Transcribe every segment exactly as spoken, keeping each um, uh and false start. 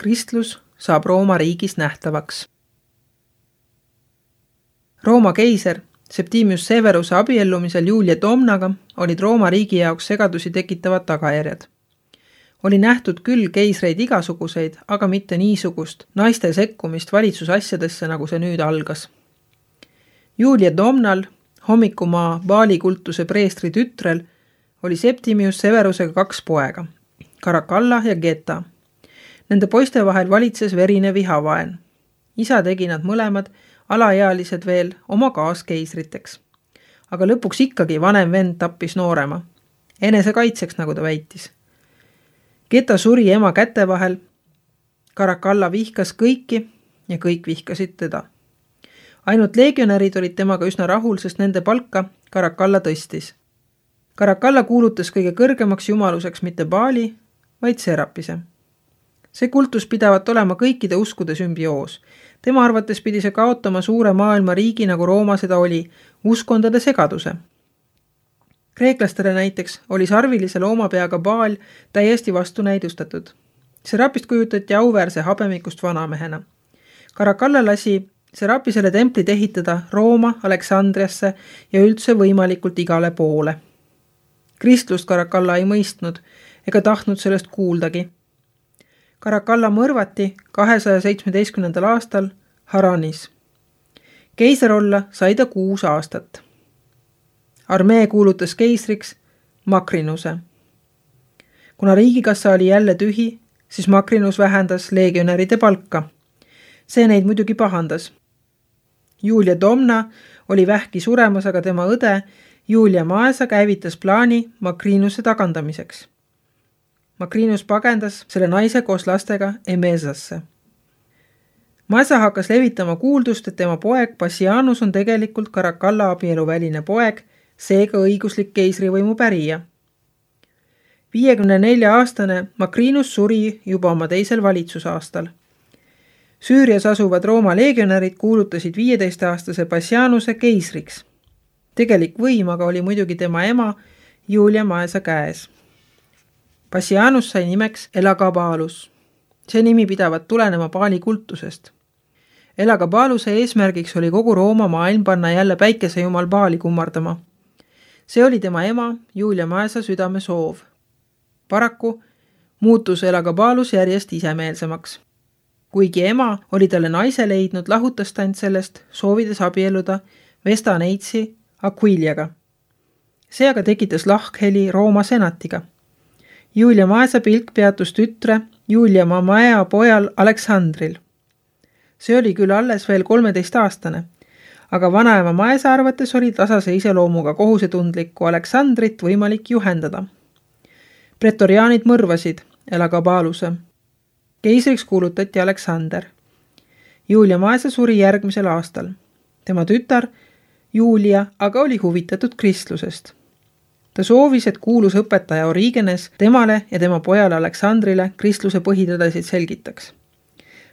kristlus saab Rooma riigis nähtavaks. Rooma keiser Septimius Severuse abiellumisel Julia Domnaga olid Rooma riigi jaoks segadusi tekitavad tagajärjed. Oli nähtud küll keisreid igasuguseid, aga mitte niisugust naiste sekkumist valitsusasjadesse, nagu see nüüd algas. Julia Domnal, hommikumaa vaalikultuse preestri tütrel, oli Septimius Severusega kaks poega, Caracalla ja Geta. Nende poiste vahel valitses verine vihavaen. Isa tegi nad mõlemad, alaealised veel, oma kaaskeisriteks. Aga lõpuks ikkagi vanem vend tappis noorema. Enese kaitseks, nagu ta väitis. Geta suri ema käte vahel, Caracalla vihkas kõiki ja kõik vihkasid teda. Ainult legionärid olid temaga üsna rahul, sest nende palka Caracalla tõstis. Caracalla kuulutas kõige kõrgemaks jumaluseks mitte Baali, vaid Serapise. See kultus pidavat olema kõikide uskude sümbioos. Tema arvates pidi see kaotama suure maailma riigi, nagu Rooma seda oli, uskondade segaduse. Kreeklastele näiteks oli sarvilise loomapeaga Baal täiesti vastu näidustatud. Serapist kujutati auväärse habemikust vanamehena. Caracalla lasi Serapisele templit ehitada Rooma, Aleksandriasse ja üldse võimalikult igale poole. Kristlust Caracalla ei mõistnud ega tahtnud sellest kuuldagi. Caracalla mõrvati kahesaja seitsmeteistkümnendal aastal Haranis. Keiser olla sai ta kuus aastat. Armee kuulutas keisriks Makrinuse. Kuna riigikassa oli jälle tühi, siis Makrinus vähendas legionäride palka. See neid muidugi pahandas. Julia Domna oli vähki suremas, aga tema õde Julia Maesa käivitas plaani Makrinuse tagandamiseks. Makrinus pagendas selle naise koos lastega Emesasse. Maesa hakkas levitama kuuldust, et tema poeg Passianus on tegelikult Caracalla abieluväline poeg, seega õiguslik keisrivõimu pärija. viiekümne nelja aastane Makrinus suri juba oma teisel valitsusaastal. Süürias asuvad Rooma legionärid kuulutasid viieteist-aastase Passianuse keisriks. Tegelik võim aga oli muidugi tema ema Julia Maesa käes. Passianus sai nimeks Elagabalus. See nimi pidavat tulenema Baali kultusest. Elagabaluse eesmärgiks oli kogu Rooma maailm panna jälle päikesejumal Baali kummardama. See oli tema ema Julia Maesa südame soov. Paraku muutus Elagabalus järjest isemeelsemaks. Kuigi ema oli talle naise leidnud, lahutas ta end sellest, soovides abielluda Vesta Neitsi Aquiliaga. See aga tekitas lahkheli Rooma senatiga. Julia Maesa pilk peatus tütre Julia Mamaea pojal Aleksandril. See oli küll alles veel kolmeteist aastane, aga vanaema Maesa arvates oli tasase iseloomuga kohusetundlikku Aleksandrit võimalik juhendada. Pretoriaanid mõrvasid Elagabaluse. Keisriks kuulutati Aleksander. Julia Maesa suri järgmisel aastal. Tema tütar Julia aga oli huvitatud kristlusest. Ta soovis, et kuulus õpetaja Origenes temale ja tema pojale Aleksandrile kristluse põhitõdesid selgitaks.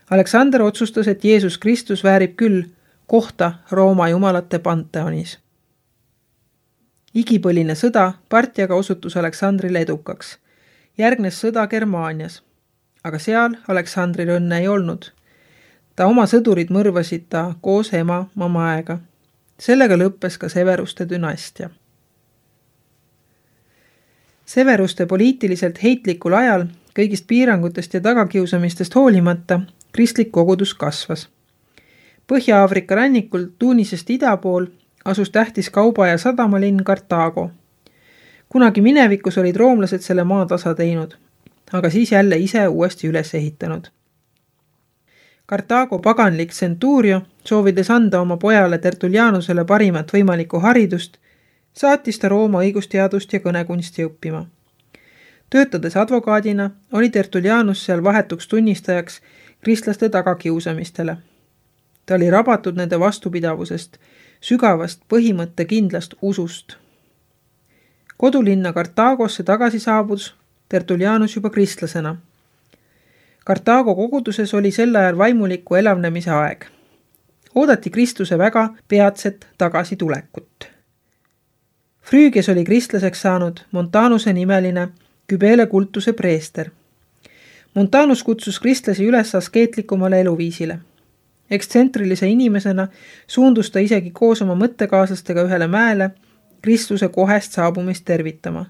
Aleksander otsustas, et Jeesus Kristus väärib küll kohta Rooma jumalate panteonis. Igipõline sõda Partiaga osutus Aleksandrile edukaks. Järgnes sõda Germaanias, aga seal Aleksandril õnne ei olnud. Ta oma sõdurid mõrvasid ta koos ema Mamaega. Sellega lõppes ka Severuste dünastia. Severuste poliitiliselt heitlikul ajal kõigist piirangutest ja tagakiusamistest hoolimata kristlik kogudus kasvas. Põhja-Aafrika rannikul Tunisest ida pool asus tähtis kauba- ja sadamalinn Kartaago. Kunagi minevikus olid roomlased selle maa tasa teinud, aga siis jälle ise uuesti üles ehitanud. Kartaago paganlik Centurio, soovides anda oma pojale Tertullianusele parimat võimalikku haridust, saatis ta Rooma õigusteadust ja kõnekunsti õppima. Töötades advokaadina oli Tertullianus seal vahetuks tunnistajaks kristlaste tagakiusamistele. Ta oli rabatud nende vastupidavusest, sügavast põhimõtte kindlast usust. Kodulinna Kartaagosse tagasi saabus Tertullianus juba kristlasena. Kartaago koguduses oli sel ajal vaimuliku elavnemise aeg. Oodati Kristuse väga peatset tagasitulekut. Früügias oli kristlaseks saanud Montanuse nimeline Kybele kultuse preester. Montanus kutsus kristlasi üles askeetlikumale eluviisile. Ekstsentrilise inimesena suundus ta isegi koos oma mõttekaaslastega ühele mäele Kristuse kohest saabumist tervitama.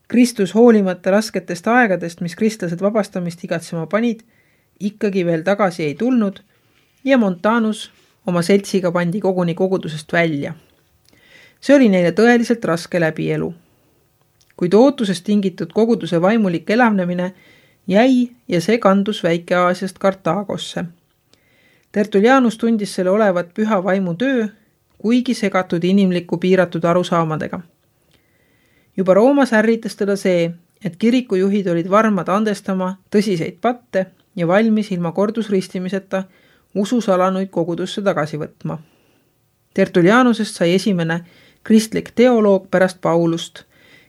Kristus hoolimata rasketest aegadest, mis kristlased vabastamist igatsema panid, ikkagi veel tagasi ei tulnud ja Montanus oma seltsiga pandi koguni kogudusest välja. See oli neile tõeliselt raske läbielu. Kuid ootusest tingitud koguduse vaimulik elavnemine jäi ja see kandus Väike-Aasiast Kartaagosse. Tertullianus tundis selle olevat püha vaimu töö, kuigi segatud inimliku piiratud arusaamadega. Juba Roomas ärritas teda see, et kirikujuhid olid varmad andestama tõsiseid patte ja valmis ilma kordusristimiseta ususalanuid kogudusse tagasi võtma. Tertullianusest sai esimene kristlik teoloog pärast Paulust,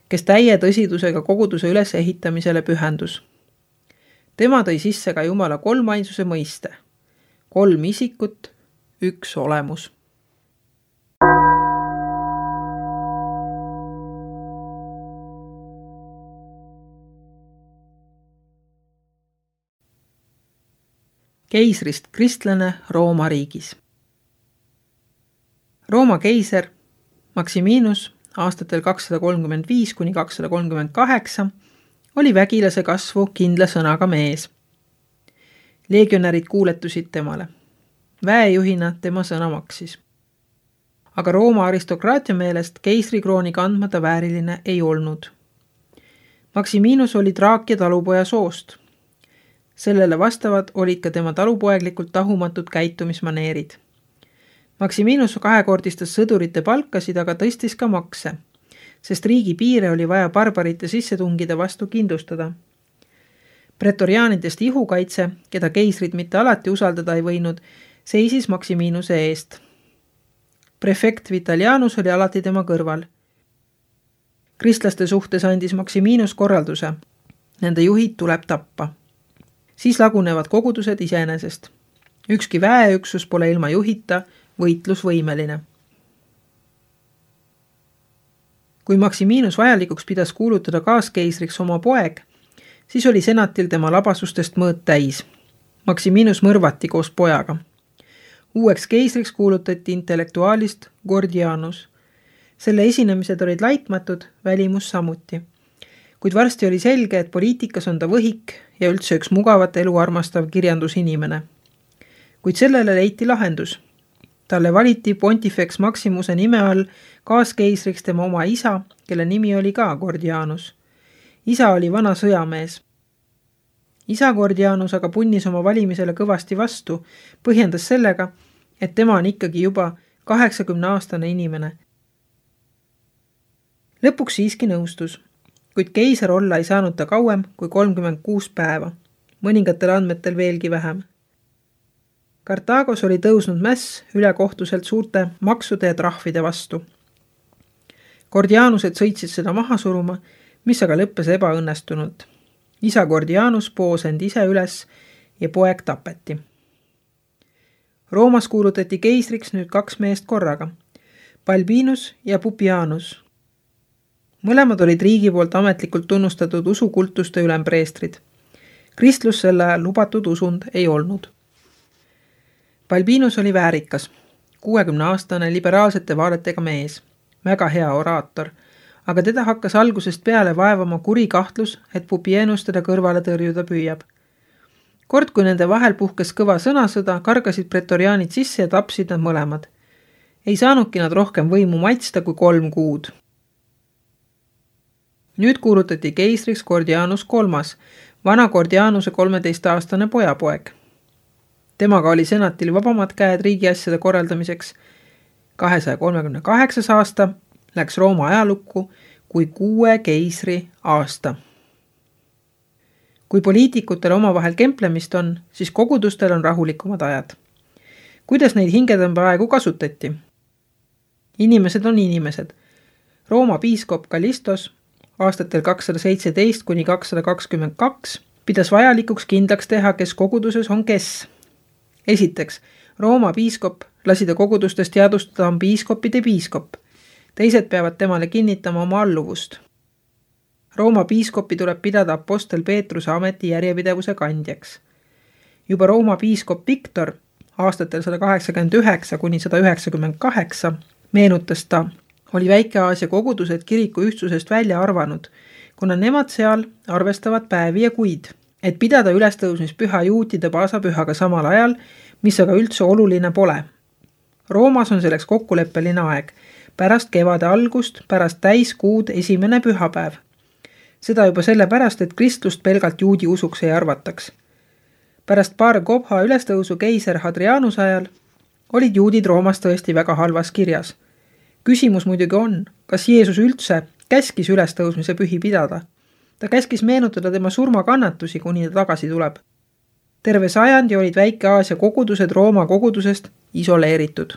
kes täie tõsidusega koguduse ülesehitamisele pühendus. Tema tõi sisse ka Jumala kolmainsuse mõiste. Kolm isikut, üks olemus. Keisrist kristlane Rooma riigis. Rooma keiser Maximinus aastatel kakssada kolmkümmend viis kuni kakssada kolmkümmend kaheksa oli vägilase kasvu kindla sõnaga mees. Legionärid kuuletusid temale. Väejuhina tema sõna maksis. Aga Rooma aristokraatia meelest keisrikrooni kandmata vääriline ei olnud. Maximinus oli Traakia talupoja soost. Sellele vastavad olid ka tema talupoeglikult tahumatud käitumismaneerid. Maximinus kahekordistas sõdurite palkasid, aga tõstis ka makse, sest riigi piire oli vaja barbarite sissetungide vastu kindlustada. Pretoriaanidest ihukaitse, keda keisrid mitte alati usaldada ei võinud, seisis Maximinuse eest. Prefekt Vitalianus oli alati tema kõrval. Kristlaste suhtes andis Maximinus korralduse. Nende juhid tuleb tappa. Siis lagunevad kogudused iseenesest. Ükski väeüksus pole ilma juhita võitlusvõimeline. Kui Maximinus vajalikuks pidas kuulutada kaaskeisriks oma poeg, siis oli senatil tema labasustest mõõt täis. Maximinus mõrvati koos pojaga. Uueks keisriks kuulutati intellektuaalist Gordianus. Selle esinemised olid laitmatud, välimus samuti. Kuid varsti oli selge, et poliitikas on ta võhik ja üldse üks mugavat elu armastav kirjandusinimene. Kuid sellele leiti lahendus. Talle valiti Pontifex Maximuse nime all kaaskeisriks tema oma isa, kelle nimi oli ka Gordianus. Isa oli vana sõjamees. Isa Gordianus aga punnis oma valimisele kõvasti vastu, põhjendas sellega, et tema on ikkagi juba kaheksakümne aastane inimene. Lõpuks siiski nõustus, kuid keiser olla ei saanud ta kauem kui kolmkümmend kuus päeva, mõningatel andmetel veelgi vähem. Kartaagos oli tõusnud mäss ülekohtuselt suurte maksude ja trahvide vastu. Gordianused sõitsid seda maha suruma, mis aga lõppes ebaõnnestunult. Isa Gordianus poos end ise üles ja poeg tapeti. Roomas kuulutati keisriks nüüd kaks meest korraga, Balbinus ja Pupianus. Mõlemad olid riigi poolt ametlikult tunnustatud usukultuste ülempreestrid. Kristlus selle ajal lubatud usund ei olnud. Balbinus oli väärikas, kuuekümne aastane liberaalsete vaadetega mees, väga hea oraator, aga teda hakkas algusest peale vaevama kuri kahtlus, et Pupienus teda kõrvale tõrjuda püüab. Kord, kui nende vahel puhkes kõva sõnasõda, kargasid pretoriaanid sisse ja tapsid nad mõlemad. Ei saanudki nad rohkem võimu maitsta kui kolm kuud. Nüüd kuulutati keisriks Gordianus kolmas, vana Gordianuse kolmeteistaastane pojapoeg. Temaga oli senatil vabamad käed riigiasjade korraldamiseks. kahesaja kolmekümne kaheksas aasta läks Rooma ajalukku kui kuue keisri aasta. Kui poliitikutel omavahel kemplemist on, siis kogudustel on rahulikumad ajad. Kuidas neid hingetõmbeaegu kasutati? Inimesed on inimesed. Rooma piiskop Kallistos aastatel kakssada seitseteist kuni kakssada kakskümmend kaks pidas vajalikuks kindlaks teha, kes koguduses on kes. Esiteks, Rooma piiskop lasi ta kogudustes teadustada on piiskopide piiskop. Teised peavad temale kinnitama oma alluvust. Rooma piiskopi tuleb pidada apostel Peetruse ameti järjepidevuse kandjaks. Juba Rooma piiskop Viktor aastatel sada kaheksakümmend üheksa kuni sada üheksakümmend kaheksa meenutas ta, oli Väike-Aasia kogudused kiriku ühtsusest välja arvanud, kuna nemad seal arvestavad päevi ja kuid, et pidada ülestõusmispüha juutide paasapühaga samal ajal, mis aga üldse oluline pole. Roomas on selleks kokkuleppeline aeg, pärast kevade algust, pärast täiskuud esimene pühapäev. Seda juba sellepärast, et kristlust pelgalt juudi usuks ei arvataks. Pärast Bar Kobha ülestõusu keiser Hadrianuse ajal olid juudid Roomas tõesti väga halvas kirjas. Küsimus muidugi on, kas Jeesus üldse käskis ülestõusmise pühi pidada. Ta käskis meenutada tema surmakannatusi, kuni ta tagasi tuleb. Terve sajandi olid Väike-Aasia kogudused Rooma kogudusest isoleeritud.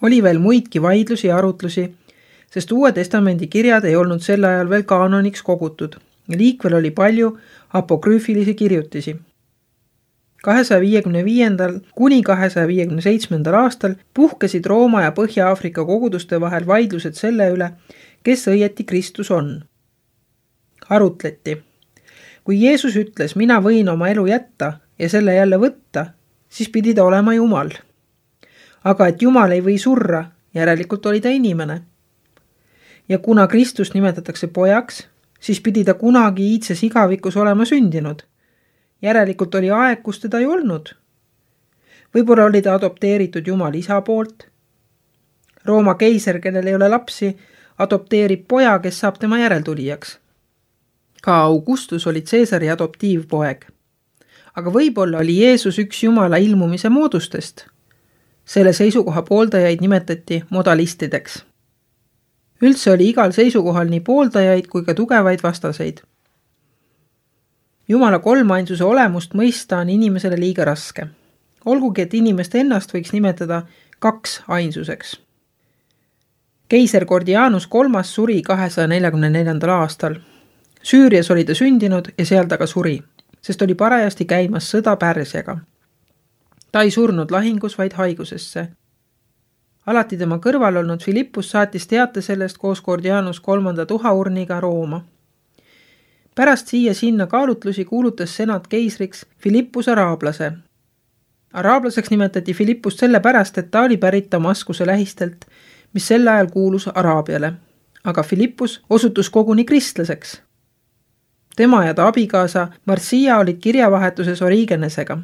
Oli veel muidki vaidlusi ja arutlusi, sest Uue Testamendi kirjad ei olnud sel ajal veel kaanoniks kogutud ja liikvel oli palju apokrüüfilisi kirjutisi. kahesaja viiekümne viiendal kuni kahesaja viiekümne seitsmendal aastal puhkesid Rooma ja Põhja-Aafrika koguduste vahel vaidlused selle üle, kes õieti Kristus on. Arutleti. Kui Jeesus ütles, mina võin oma elu jätta ja selle jälle võtta, siis pidi ta olema Jumal. Aga et Jumal ei või surra, järelikult oli ta inimene. Ja kuna Kristust nimetatakse pojaks, siis pidi ta kunagi iidses igavikus olema sündinud. Järelikult oli aeg, kus teda ei olnud. Võib-olla oli ta adopteeritud Jumal isa poolt. Rooma keiser, kellel ei ole lapsi, adopteerib poja, kes saab tema järeltulijaks. Ka Augustus oli Caesari adoptiivpoeg. Aga võib-olla oli Jeesus üks Jumala ilmumise moodustest. Selle seisukoha pooldajaid nimetati modalistideks. Üldse oli igal seisukohal nii pooldajaid kui ka tugevaid vastaseid. Jumala kolmainsuse olemust mõista on inimesele liiga raske. Olgugi, et inimest ennast võiks nimetada kaks ainsuseks. Keiser Gordianus kolmas suri kahesaja neljakümne neljandal aastal. Süürias oli ta sündinud ja seal ta ka suri, sest oli parajasti käimas sõda Pärsiaga. Ta ei surnud lahingus, vaid haigusesse. Alati tema kõrval olnud Filippus saatis teate sellest koos Gordianus kolmanda tuhaurniga Rooma. Pärast siia sinna kaalutlusi kuulutas senat keisriks Filippus araablase. Araablaseks nimetati Filippust sellepärast, et ta oli pärit Damaskuse lähistelt, mis sel ajal kuulus Araabiale. Aga Filippus osutus koguni kristlaseks. Tema ja ta abikaasa Marsia olid kirjavahetuses Origenesega.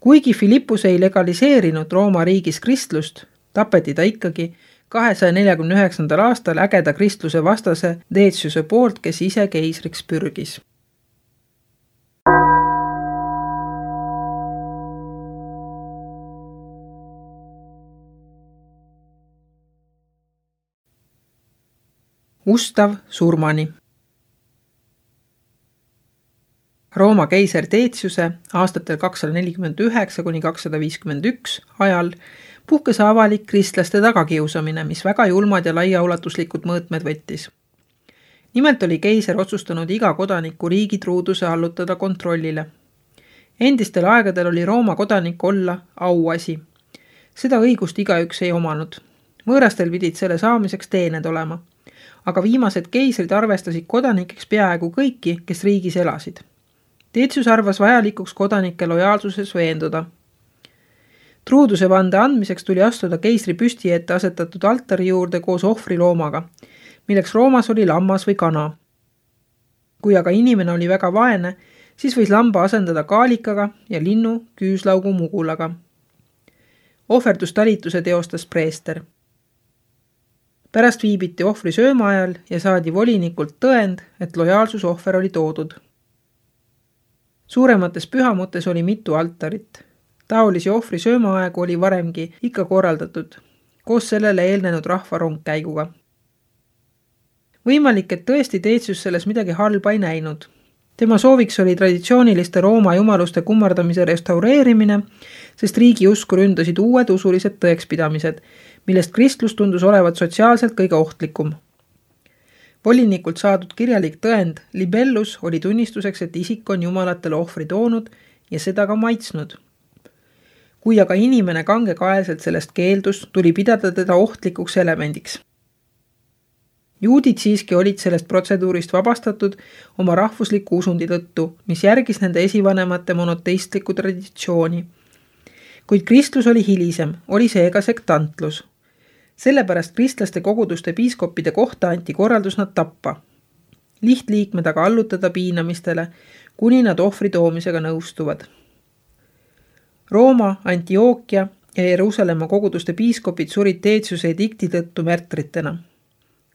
Kuigi Filippus ei legaliseerinud Rooma riigis kristlust, tapeti ta ikkagi kahesaja neljakümne üheksandal aastal ägeda kristluse vastase Deciuse poolt, kes ise keisriks pürgis. Ustav surmani. Rooma keiser Deciuse aastatel kakssada nelikümmend üheksa kuni kakssada viiskümmend üks ajal puhkes avalik kristlaste tagakiusamine, mis väga julmad ja laiaulatuslikud mõõtmed võttis. Nimelt oli keiser otsustanud iga kodaniku riigi truuduse allutada kontrollile. Endistel aegadel oli Rooma kodanik olla auasi. Seda õigust igaüks ei omanud. Võõrastel pidid selle saamiseks teened olema. Aga viimased keisrid arvestasid kodanikeks peaaegu kõiki, kes riigis elasid. Decius arvas vajalikuks kodanike lojaalsuses veenduda. Truuduse vande andmiseks tuli astuda keisri püsti ette asetatud altari juurde koos ohvriloomaga, milleks Roomas oli lammas või kana. Kui aga inimene oli väga vaene, siis võis lamba asendada kaalikaga ja linnu küüslaugu mugulaga. Ohverdustalituse teostas preester. Pärast viibiti ohvri sööma ajal ja saadi volinikult tõend, et lojaalsusohver oli toodud. Suuremates pühamutes oli mitu altarit. Taolisi ohvri söömaaegu oli varemgi ikka korraldatud, koos sellele eelnenud rahva rongkäiguga. Võimalik, et tõesti Decius selles midagi halba ei näinud. Tema sooviks oli traditsiooniliste Rooma jumaluste kummardamise restaureerimine, sest riigi usku ründasid uued usulised tõekspidamised, millest kristlus tundus olevat sotsiaalselt kõige ohtlikum. Volinikult saadud kirjalik tõend libellus oli tunnistuseks, et isik on jumalatele ohvri toonud ja seda ka maitsnud. Kui aga inimene kangekaelselt sellest keeldus, tuli pidada teda ohtlikuks elemendiks. Juudid siiski olid sellest protseduurist vabastatud oma rahvusliku usundi tõttu, mis järgis nende esivanemate monoteistlikku traditsiooni. Kuid kristlus oli hilisem, oli seega sektantlus. Sellepärast kristlaste koguduste piiskoppide kohta anti korraldus nad tappa. Lihtliikmed aga allutada piinamistele, kuni nad ohvri toomisega nõustuvad. Rooma, Antiookia ja Jeruusalemma koguduste piiskopid surid Deetsiuse edikti tõttu märtritena.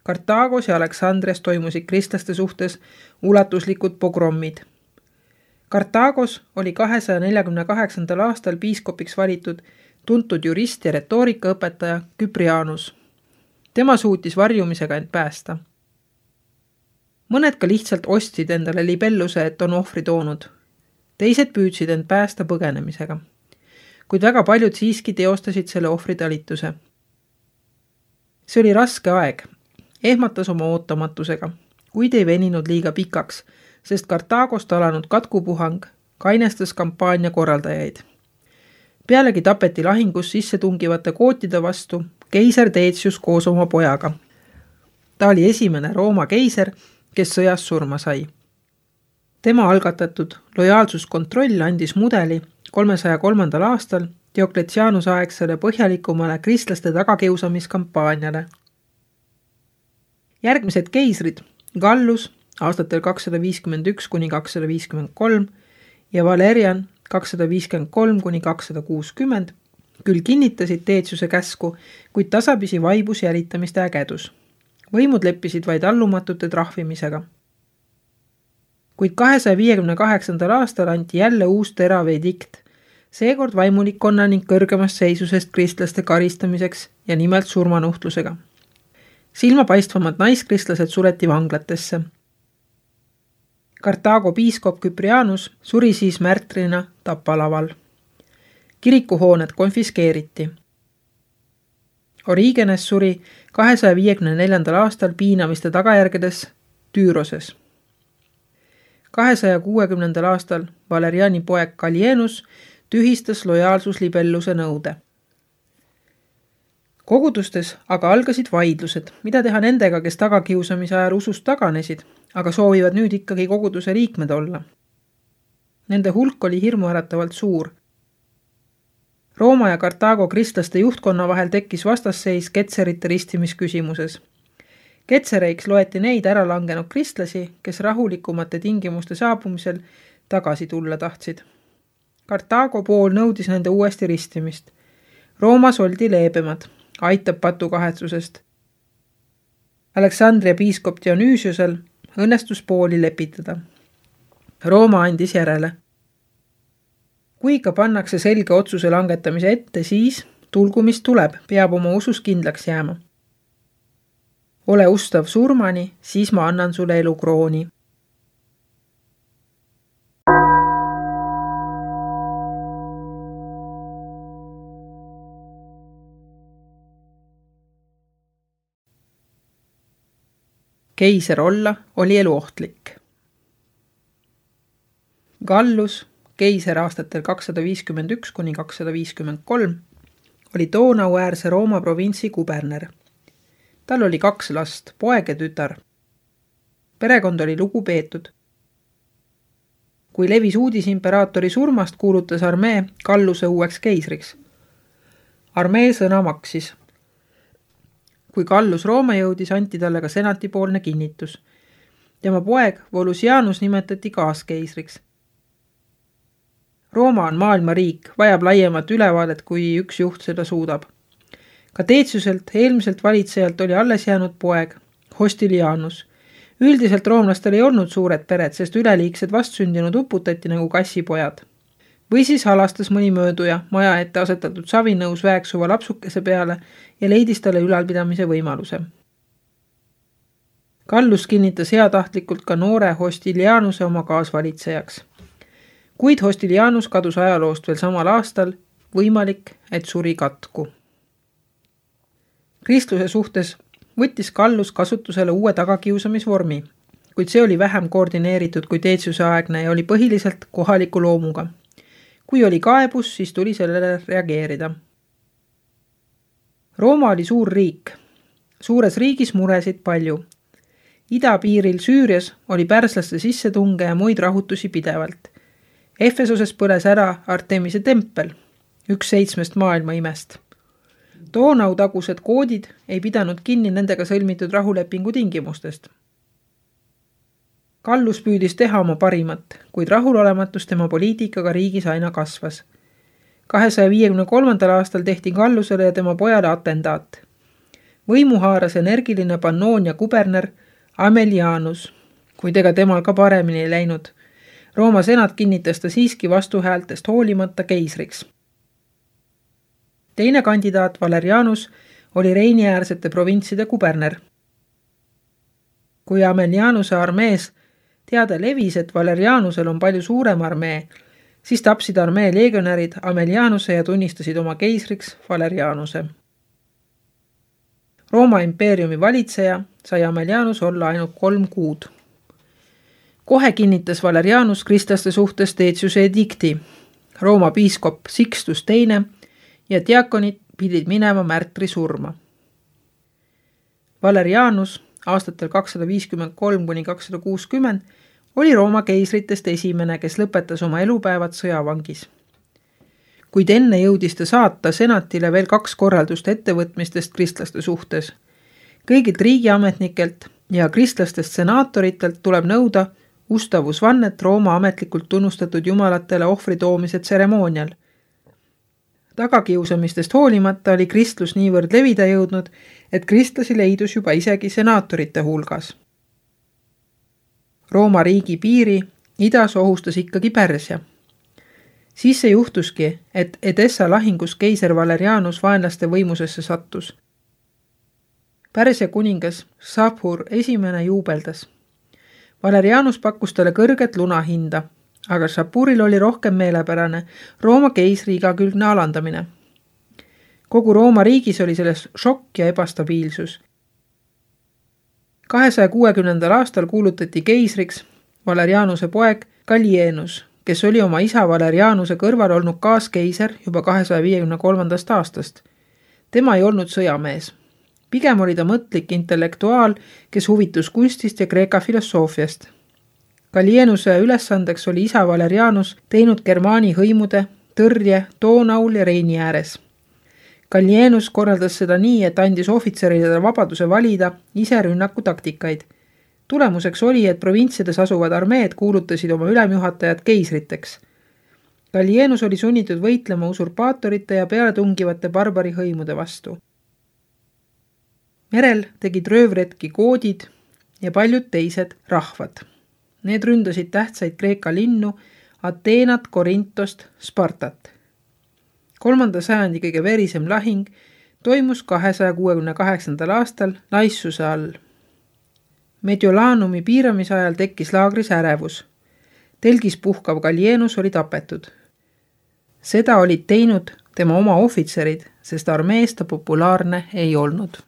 Kartaagos ja Aleksandrias toimusid kristlaste suhtes ulatuslikud pogrommid. Kartaagos oli kahesaja neljakümne kaheksandal aastal piiskopiks valitud tuntud jurist ja retoorikaõpetaja Küprianus. Tema suutis varjumisega end päästa. Mõned ka lihtsalt ostsid endale libelluse, et on ohvri toonud. Teised püüdsid end päästa põgenemisega. Kuid väga paljud siiski teostasid selle ohvri talituse. See oli raske aeg. Ehmatas oma ootamatusega, kuid ei veninud liiga pikaks, sest Kartaagost alanud katkupuhang kainestas kampaania korraldajaid. Pealegi tapeti lahingus sisse tungivate kootide vastu keiser Deetsius koos oma pojaga. Ta oli esimene Rooma keiser, kes sõjas surma sai. Tema algatatud lojaalsuskontroll andis mudeli kolmesaja kolmandal aastal Diokletianuse aegsele põhjalikumale kristlaste tagakiusamiskampaaniale. Järgmised keisrid, Gallus aastatel kakssada viiskümmend üks kuni kakssada viiskümmend kolm ja Valerian kakssada viiskümmend kolm kuni kakssada kuuskümmend, küll kinnitasid Deetsiuse käsku, kuid tasapisi vaibus jälitamiste ägedus. Võimud leppisid vaid allumatute trahvimisega. Kuid kahesaja viiekümne kaheksandal aastal anti jälle uus terav edikt, seekord vaimulikkonna ning kõrgemast seisusest kristlaste karistamiseks ja nimelt surmanuhtlusega. Silmapaistvamad naiskristlased sureti vanglatesse. Kartaago piiskop Küprianus suri siis märtrina tapalaval. Kirikuhooned konfiskeeriti. Origenes suri kahesaja viiekümne neljandal aastal piinamiste tagajärgedes Tüüroses. kahesaja kuuekümnendal aastal Valeriani poeg Gallienus tühistas lojaalsuslibelluse nõude. Kogudustes aga algasid vaidlused, mida teha nendega, kes tagakiusamise ajal usust taganesid, aga soovivad nüüd ikkagi koguduse liikmed olla. Nende hulk oli hirmuäratavalt suur. Rooma ja Kartaago kristlaste juhtkonna vahel tekkis vastasseis ketserite ristimisküsimuses. Ketsereiks loeti neid ära langenud kristlasi, kes rahulikumate tingimuste saabumisel tagasi tulla tahtsid. Kartaago pool nõudis nende uuesti ristimist. Roomas oldi leebemad, aitab patu kahetsusest. Aleksandria piiskop Dionüüsiusel õnnestus pooli lepitada. Rooma andis järele. Kui ka pannakse selge otsuse langetamise ette, siis tulgu mis tuleb, peab oma usus kindlaks jääma. Ole ustav surmani, siis ma annan sulle elukrooni. Keiser olla oli eluohtlik. Gallus, keiser aastatel kakssada viiskümmend üks kuni kakssada viiskümmend kolm, oli Donauäärse Rooma provintsi kuberner. Tal oli kaks last, poeg ja tütar. Perekond oli lugupeetud. Kui levis uudis imperaatori surmast, kuulutas armee Galluse uueks keisriks. Armee sõna maksis. Kui Gallus Rooma jõudis, anti talle ka senatipoolne kinnitus. Tema poeg Volusianus nimetati kaaskeisriks. Rooma on maailma riik, vajab laiemat ülevaadet, kui üks juht seda suudab. Ka Deetsiuselt, eelmiselt valitsejalt oli alles jäänud poeg, Hostilianus. Üldiselt roomlastel ei olnud suured pered, sest üleliigsed vastsündinud uputati nagu kassipojad. Või siis halastas mõni mööduja maja ette asetatud savinõus väeksuva lapsukese peale ja leidis talle ülalpidamise võimaluse. Gallus kinnitas heatahtlikult ka noore Hostilianuse oma kaasvalitsejaks. Kuid Hostilianus kadus ajaloost veel samal aastal, võimalik, et suri katku. Kristluse suhtes võttis Gallus kasutusele uue tagakiusamisvormi, kuid see oli vähem koordineeritud kui Deetsiuse aegne ja oli põhiliselt kohaliku loomuga. Kui oli kaebus, siis tuli sellele reageerida. Rooma oli suur riik. Suures riigis muresid palju. Idapiiril Süürias oli pärslaste sissetunge ja muid rahutusi pidevalt. Efesoses põles ära Artemise tempel, üks seitsmest maailma imest. Donau tagused koodid ei pidanud kinni nendega sõlmitud rahulepingu tingimustest. Gallus püüdis teha oma parimat, kuid rahulolematus tema poliitikaga riigis aina kasvas. kahesaja viiekümne kolmandal aastal tehti Gallusele ja tema pojale atendaat. Võimu haaras energiline Pannoonia kuberner Amelianus, kuid ega temal ka paremini ei läinud. Rooma senat kinnitas ta siiski vastuhäältest hoolimata keisriks. Teine kandidaat Valerianus oli Reiniäärsete provintside kuberner. Kui Amelianuse armees teada levis, et Valerianusel on palju suurem armee, siis tapsid armee legionärid Amelianuse ja tunnistasid oma keisriks Valerianuse. Rooma impeeriumi valitseja sai Amelianus olla ainult kolm kuud. Kohe kinnitas Valerianus kristlaste suhtes Deciuse edikti. Rooma piiskop Sixtus teine ja diakonid pidid minema märtri surma. Valerianus aastatel kakssada viiskümmend kolm kuni kakssada kuuskümmend oli Rooma keisritest esimene, kes lõpetas oma elupäevad sõjavangis. Kuid enne jõudis ta saata senatile veel kaks korraldust ettevõtmistest kristlaste suhtes. Kõigilt riigiametnikelt ja kristlastest senaatoritelt tuleb nõuda ustavusvannet Rooma ametlikult tunnustatud jumalatele ohvri toomise tseremoonial. Tagakiusamistest hoolimata oli kristlus niivõrd levida jõudnud, et kristlasi leidus juba isegi senaatorite hulgas. Rooma riigi piiri idas ohustas ikkagi Pärsia. Siis see juhtuski, et Edessa lahingus keiser Valerianus vaenlaste võimusesse sattus. Pärsia kuningas Šapur esimene juubeldas. Valerianus pakkus talle kõrget lunahinda, aga Šapuril oli rohkem meelepärane Rooma keisri igakülgne alandamine. Kogu Rooma riigis oli selles šokk ja ebastabiilsus. kahesaja kuuekümnendal aastal kuulutati keisriks Valerianuse poeg Gallienus, kes oli oma isa Valerianuse kõrval olnud kaaskeiser juba kahesaja viiekümne kolmandast aastast. Tema ei olnud sõjamees. Pigem oli ta mõtlik intellektuaal, kes huvitus kunstist ja Kreeka filosoofiast. Gallienuse ülesandeks oli isa Valerianus teinud Germaani hõimude tõrje Donaul ja Reini ääres. Gallienus korraldas seda nii, et andis ohvitseridele vabaduse valida ise rünnaku taktikaid. Tulemuseks oli, et provintsides asuvad armeed kuulutasid oma ülemjuhatajad keisriteks. Gallienus oli sunnitud võitlema usurpaatorite ja pealetungivate barbari hõimude vastu. Merel tegid röövretki koodid ja paljud teised rahvad. Need ründasid tähtsaid Kreeka linnu, Ateenat, Korintost, Spartat. Kolmanda sajandi kõige verisem lahing toimus kahesaja kuuekümne kaheksandal aastal Naissuse all. Mediolanumi piiramise ajal tekkis laagris ärevus. Telgis puhkav Gallienus oli tapetud. Seda olid teinud tema oma ohvitserid, sest armees ta populaarne ei olnud.